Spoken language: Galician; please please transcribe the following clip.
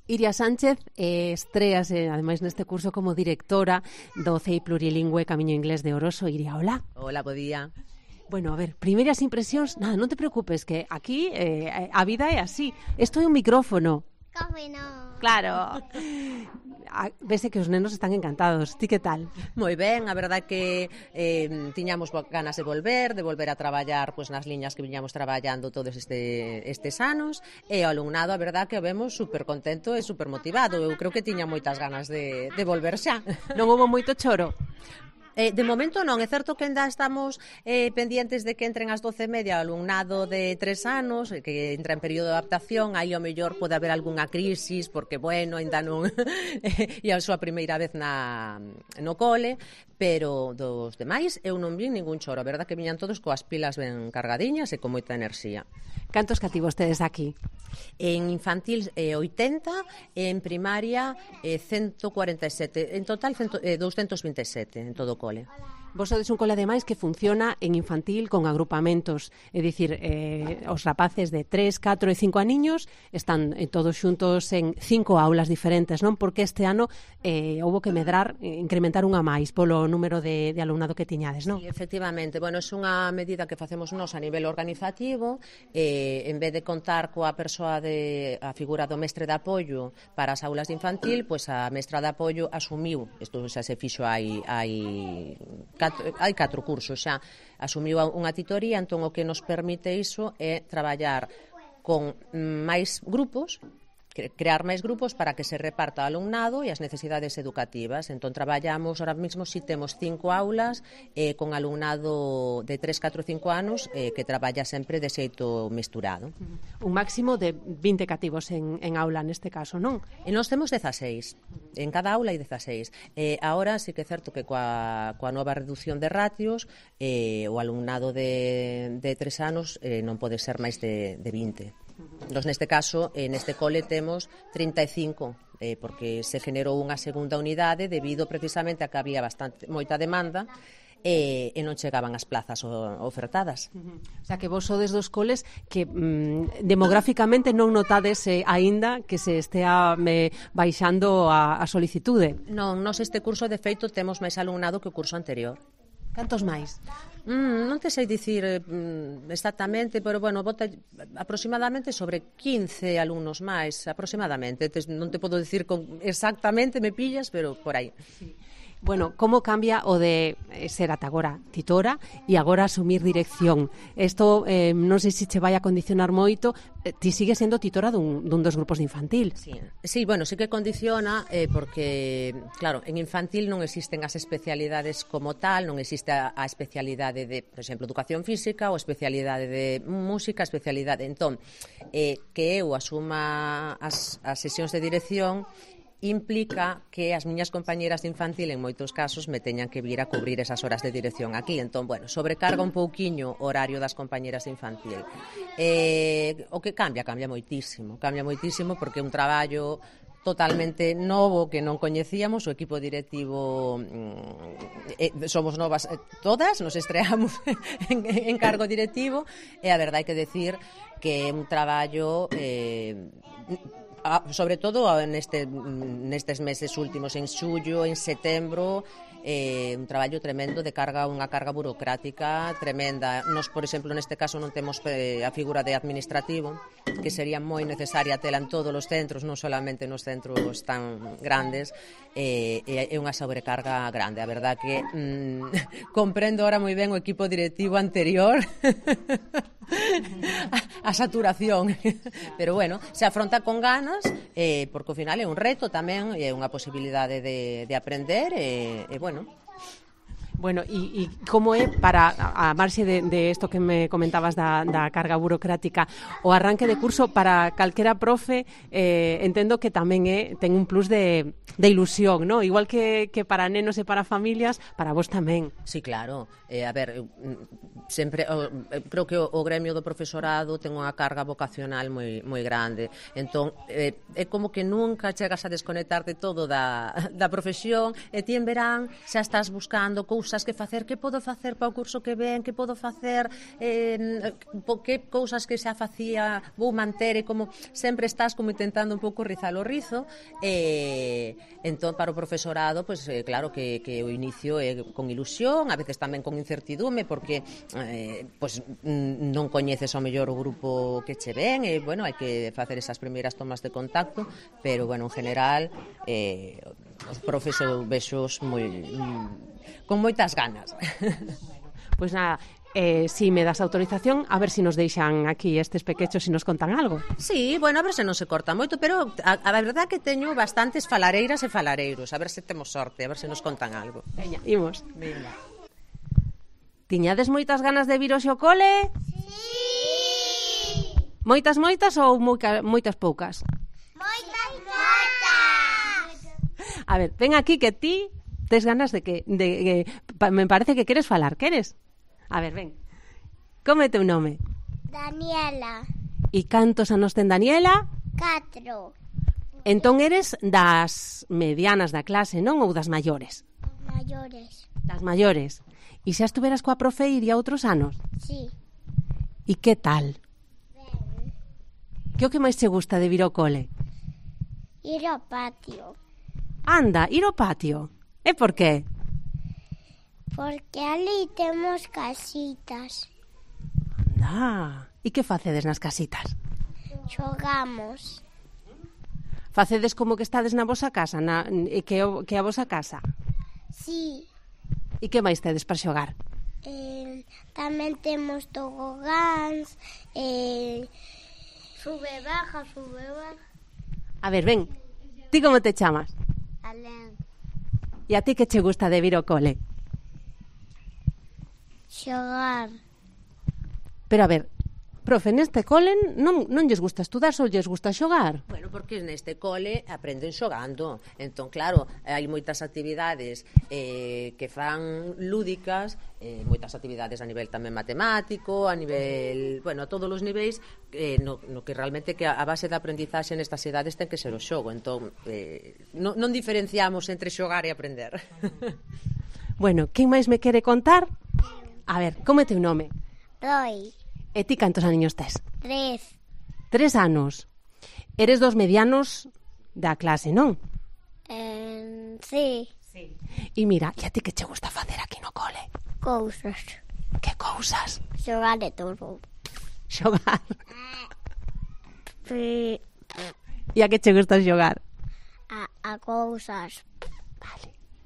Iria Sánchez estréase, ademais, neste curso como directora do CEI Plurilingüe Camiño Inglés de Oroso. Iria, hola. Hola, bo día. Bueno, a ver, primeiras impresións, nada, non te preocupes, que aquí a vida é así. Isto é un micrófono. Como non? Claro. Vese que os nenos están encantados. Ti que tal? Moi ben, a verdade que tiñamos ganas de volver a traballar pois, nas liñas que viñamos traballando todos estes anos, e o alumnado, a verdade que o vemos super contento e super motivado. Eu creo que tiña moitas ganas de volver xa. Non houve moito choro? De momento non, é certo que ainda estamos pendientes de que entren as 12:30 o alumnado de 3 anos, que entra en período de adaptación, aí ao mellor pode haber algunha crisis, porque, bueno, ainda non é a súa primeira vez no cole, pero dos demais eu non vi ningún choro, a verdade que viñan todos coas pilas ben cargadiñas e con moita enerxía. Cantos cativos tedes aquí? En infantil 80, en primaria 147, en total 227 en todo o cole. Vos sodes un cole, ademais, que funciona en infantil con agrupamentos, é dicir, os rapaces de 3, 4 e 5 aniños están todos xuntos en 5 aulas diferentes, non? Porque este ano houbo que medrar, incrementar unha máis polo número de alumnado que tiñades, non? Sí, efectivamente, bueno, é unha medida que facemos nós a nivel organizativo, en vez de contar coa persoa a figura do mestre de apoio para as aulas de infantil, pois a mestra de apoio asumiu, isto xa se fixo hai 4 cursos xa, asumiu unha titoría, entón o que nos permite iso é traballar con máis grupos, crear máis grupos para que se reparta o alumnado e as necesidades educativas. Entón traballamos, ahora mesmo si temos 5 aulas con alumnado de 3, 4, 5 anos que traballa sempre de xeito mesturado. Un máximo de 20 cativos en aula neste caso, non? E nós temos 16, en cada aula hai 16. Ahora sí que é certo que coa nova reducción de ratios o alumnado de 3 anos non pode ser máis de 20. Nos neste caso, neste cole temos 35, porque se generou unha segunda unidade debido precisamente a que había moita demanda e non chegaban as plazas ofertadas. O sea, que vos sodes dos coles que demográficamente non notades aínda que se estea baixando a solicitude. Non, nós este curso de feito temos máis alumnado que o curso anterior. Cantos máis? Non te sei dicir exactamente, pero, bueno, bota aproximadamente sobre 15 alumnos máis, aproximadamente. Non te podo dicir exactamente, me pillas, pero por aí. Sí. Bueno, como cambia o de ser ata agora titora e agora asumir dirección? Isto non sei se che vai a condicionar moito. Ti sigues sendo titora dun dos grupos de infantil. Sí, bueno, sí que condiciona porque, claro, en infantil non existen as especialidades como tal, non existe a especialidade de, por exemplo, educación física ou especialidade de música, especialidade. Entón, que eu asuma as sesións de dirección implica que as miñas compañeras de infantil en moitos casos me teñan que vir a cubrir esas horas de dirección aquí. Entón, bueno, sobrecarga un pouquiño o horario das compañeras de infantil. O que cambia moitísimo porque é un traballo totalmente novo que non coñecíamos, o equipo directivo somos novas todas, nos estreamos en cargo directivo e a verdade hai que decir que é un traballo sobre todo nestes meses últimos, en xullo, en setembro, un traballo tremendo de unha carga burocrática tremenda. Nos, por exemplo, neste caso non temos a figura de administrativo, que sería moi necesaria tela en todos os centros, non solamente nos centros tan grandes, é unha sobrecarga grande. A verdad que comprendo ahora moi ben o equipo directivo anterior a saturación, pero bueno, se afronta con ganas, porque ao final é un reto tamén, é unha posibilidade de aprender e bueno. Bueno, e como é para a marxe de isto que me comentabas da carga burocrática, o arranque de curso para calquera profe, entendo que tamén ten un plus de ilusión, ¿no? Igual que para nenos e para familias, para vos tamén. Sí, claro. A ver, sempre creo que o gremio do profesorado ten unha carga vocacional moi grande. Entón, é como que nunca chegas a desconectarte todo da profesión e ti en verán xa estás buscando cousas cousas que facer, que podo facer para o curso que ven, que podo facer, que cousas que xa facía vou manter, e como sempre estás como intentando un pouco rizar o rizo, entón para o profesorado, pois claro que o inicio é con ilusión, a veces tamén con incertidume, porque pois non coñeces ao mellor o grupo que che ven, e bueno, hai que facer esas primeiras tomas de contacto, pero bueno, en general os profes eu vexos con moitas ganas. Pois nada, si me das autorización, a ver se nos deixan aquí estes pequechos e nos contan algo. Sí, bueno, a ver se non se corta moito, pero a verdade é que teño bastantes falareiras e falareiros, a ver se temos sorte, a ver se nos contan algo. Veña, imos. Venga. Tiñades moitas ganas de vir hoxe ao cole? Sí! Moitas ou moitas poucas? Moitas! A ver, ven aquí que ti tes ganas de que me parece que queres falar, queres? A ver, ven. Como é teu nome? Daniela. E cantos anos ten Daniela? 4. Entón eres das medianas da clase, non? Ou das maiores? Maiores. Das maiores. E xa estuveras coa profe iría outros anos? Sí. E que tal? Ben. Que o que máis che gusta de vir ao cole? Ir ao patio. Anda, ir ao patio. E por qué? Porque ali temos casitas. Anda. E que facedes nas casitas? Xogamos. Facedes como que estades na vosa casa, que é a vosa casa? Sí. E que máis tedes para xogar? Tamén temos tobogáns, sube, baja. A ver, ven. Ti como te chamas? Alén. E a ti que che gusta de vir ao cole? Xogar. Pero a ver, profe, neste cole non lles gusta estudar, só lles gusta xogar. Bueno, porque neste cole aprenden xogando. Entón, claro, hai moitas actividades que fan lúdicas, moitas actividades a nivel tamén matemático, a nivel, bueno, a todos os niveis, no que realmente que a base da aprendizaxe nestas edades ten que ser o xogo. Entón, non diferenciamos entre xogar e aprender. Bueno, quen máis me quere contar? A ver, como é teu nome? Roy. E ti cantos aniños tes? 3. 3 anos. Eres dos medianos da clase, non? Sí. E mira, e a ti que che gusta facer aquí no cole? Cousas. Que cousas? Xogar de todo. Xogar. Sí. E a que che gusta xogar? A cousas. Vale.